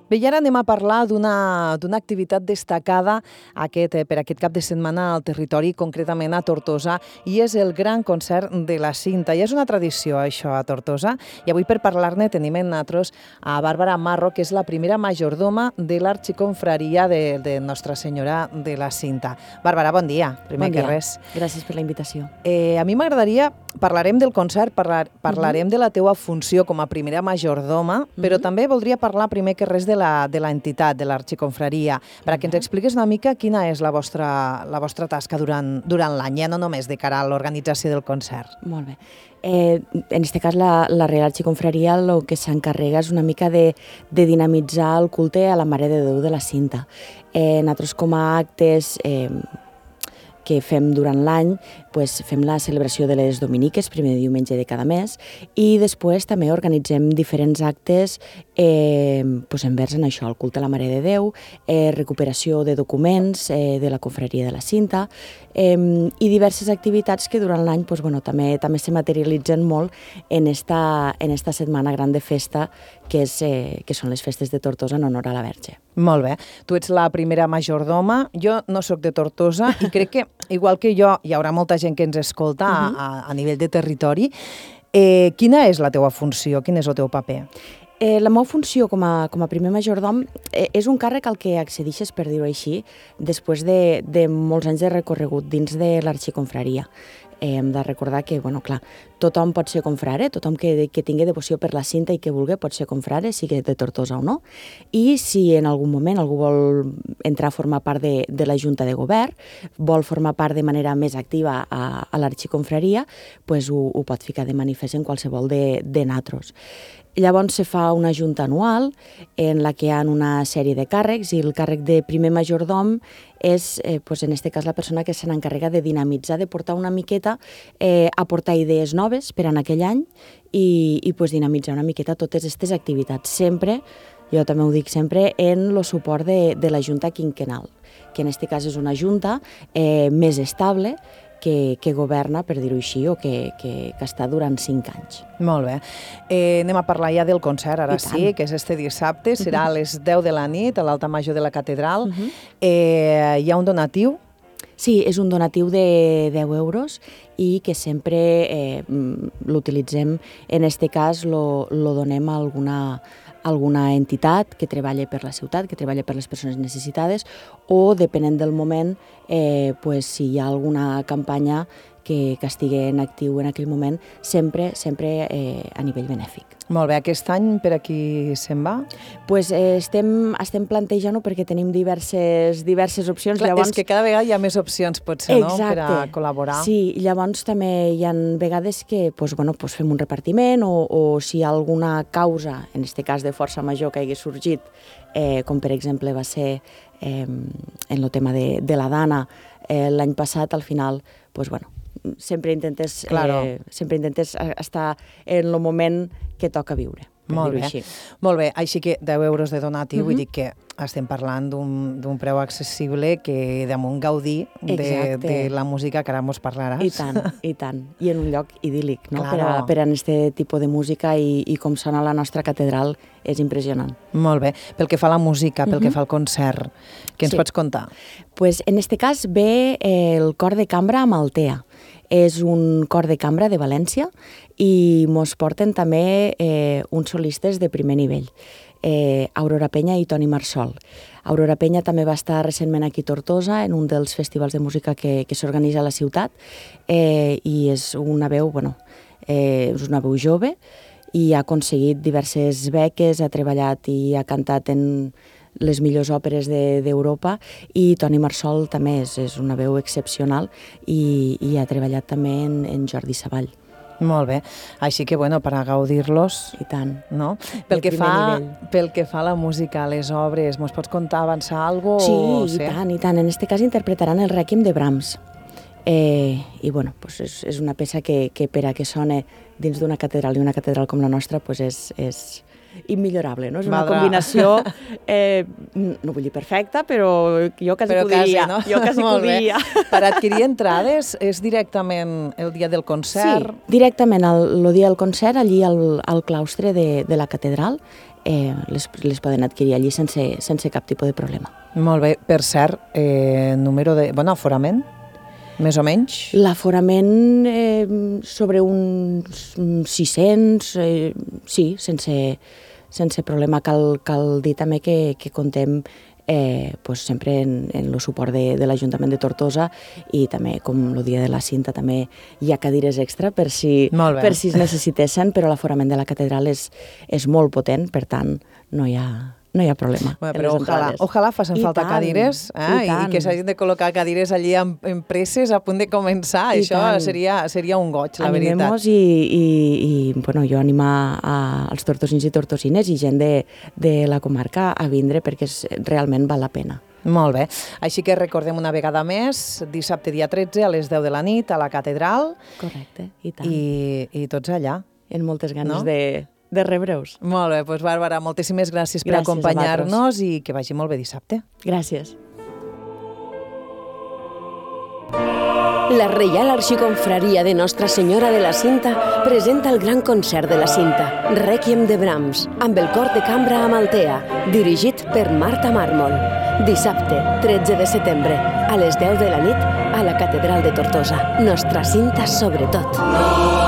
Bé, i ara anem a parlar d'una activitat destacada per aquest cap de setmana al territori, concretament a Tortosa, i és el Gran Concert de la Cinta. I és una tradició, això, a Tortosa. I avui, per parlar-ne, tenim en nosaltres a Bàrbara Marro, que és la primera majordoma de l'Arxiconfraria de Nostra Senyora de la Cinta. Bàrbara, bon dia, primer que res. Gràcies per la invitació. A mi m'agradaria, parlarem del concert, parlarem de la teua funció com a primera majordoma, però també voldria parlar primer que res de l'entitat, de l'Arxiconfraria, perquè ens expliquis una mica quina és la vostra tasca durant l'any, no només de cara a l'organització del concert. Molt bé. En aquest cas, la Real Arxiconfraria el que s'encarrega és una mica de dinamitzar el culte a la Mare de Déu de la Cinta. Nosaltres, com a actes que fem durant l'any, fem la celebració de les Dominiques, primer diumenge de cada mes, i després també organitzem diferents actes envers en això, el culte a la Mare de Déu, recuperació de documents de la Confraria de la Cinta, i diverses activitats que durant l'any també se materialitzen molt en esta setmana gran de festa, que són les festes de Tortosa en honor a la Verge. Molt bé. Tu ets la primera majordoma, jo no sóc de Tortosa i crec que, igual que jo, hi haurà molta gent que ens escolta a nivell de territori. Quina és la teua funció? Quin és el teu paper? La meva funció com a primer majordom és un càrrec al que accedeixes, per dir-ho així, després de molts anys de recorregut dins de l'Arxiconfraria. Hem de recordar que, clar, tothom pot ser confrare, tothom que tingui devoció per la Cinta i que vulgui pot ser confrare, sigui de Tortosa o no. I si en algun moment algú vol entrar a formar part de la Junta de Govern, vol formar part de manera més activa a l'Arxiconfraria, ho pot ficar de manifest en qualsevol de nosaltres. Llavors se fa una junta anual en la que hi ha una sèrie de càrrecs i el càrrec de primer majordom és, en aquest cas, la persona que se n'encarrega de dinamitzar, de portar una miqueta, aportar idees noves per en aquell any i dinamitzar una miqueta totes aquestes activitats. Sempre, jo també ho dic sempre, en el suport de la Junta Quinquenal, que en aquest cas és una junta més estable, que governa, per dir-ho així, o que està durant 5 anys. Molt bé. Anem a parlar ja del concert, ara sí, que és este dissabte, serà a les 10 de la nit, a l'Altar Major de la Catedral. Hi ha un donatiu? Sí, és un donatiu de 10 euros i que sempre l'utilitzem, en aquest cas lo donem a alguna entitat que treballa per la ciutat, que treballa per les persones necessitades, o, depenent del moment, si hi ha alguna campanya que estigui en actiu en aquell moment, sempre a nivell benèfic. Molt bé. Aquest any per a qui se'n va? Estem plantejant-ho perquè tenim diverses opcions. Clar, és que cada vegada hi ha més opcions, potser, no?, per a col·laborar. Sí, llavors també hi ha vegades que fem un repartiment o si hi ha alguna causa, en aquest cas de força major, que hagi sorgit, com per exemple va ser en el tema de la Dana l'any passat, al final, sempre intentes estar en el moment que toca viure. Molt bé, així que 10 euros de donatiu, vull dir que estem parlant d'un preu accessible que damunt gaudir de la música que ara mos parlaràs. I tant, i en un lloc idíl·lic, no? Per a aquest tipus de música i com sona la nostra catedral és impressionant. Molt bé. Pel que fa a la música, pel que fa al concert, què ens pots contar? En aquest cas ve el cor de cambra amb Altea. És un cor de cambra de València i mos porten també uns solistes de primer nivell, Aurora Peña i Toni Marsol. Aurora Peña també va estar recentment aquí a Tortosa en un dels festivals de música que s'organitza a la ciutat i és una veu jove i ha aconseguit diverses beques, ha treballat i ha cantat en les millors òperes d'Europa, i Toni Marsol també és una veu excepcional i ha treballat també en Jordi Savall. Molt bé. Així que, per a gaudir-los... I tant. No? Pel que fa a la música, a les obres, mos pots contar, avançar alguna cosa? Sí, i tant. En aquest cas interpretaran el Rèquiem de Brahms. I, és una peça que per a que sone dins d'una catedral, i una catedral com la nostra, és immillorable, no? És una combinació, no vull dir perfecta, però jo quasi ho diria. No? Jo quasi ho diria. Per adquirir entrades és directament el dia del concert? Sí, directament el dia del concert, allí al claustre de la catedral, les poden adquirir allí sense cap tipus de problema. Molt bé. Per cert, número de... aforament? Més o menys? L'aforament sobre uns 600, sí, sense problema. Cal dir també que contem sempre en el suport de l'Ajuntament de Tortosa i també, com el dia de la cinta, també hi ha cadires extra per si es necessitessin, però l'aforament de la catedral és molt potent, per tant, no hi ha problema. Però ojalà facin falta cadires i que s'hagin de col·locar cadires allí en presses a punt de començar. Això seria un goig, la veritat. Animem-nos i jo animo als tortosins i tortosines i gent de la comarca a vindre perquè realment val la pena. Molt bé. Així que recordem una vegada més, dissabte dia 13 a les 10 de la nit a la catedral. Correcte, i tant. I tots allà. En moltes ganes de rebre-us. Molt bé, doncs Bàrbara, moltíssimes gràcies per acompanyar-nos i que vagi molt bé dissabte. Gràcies. La Reial Arxiconfraria de Nostra Senyora de la Cinta presenta el gran concert de la Cinta, Rèquiem de Brahms, amb el cor de cambra a Maltea, dirigit per Marta Mármol. Dissabte, 13 de setembre, a les 10 de la nit, a la Catedral de Tortosa. Nostra Cinta sobretot.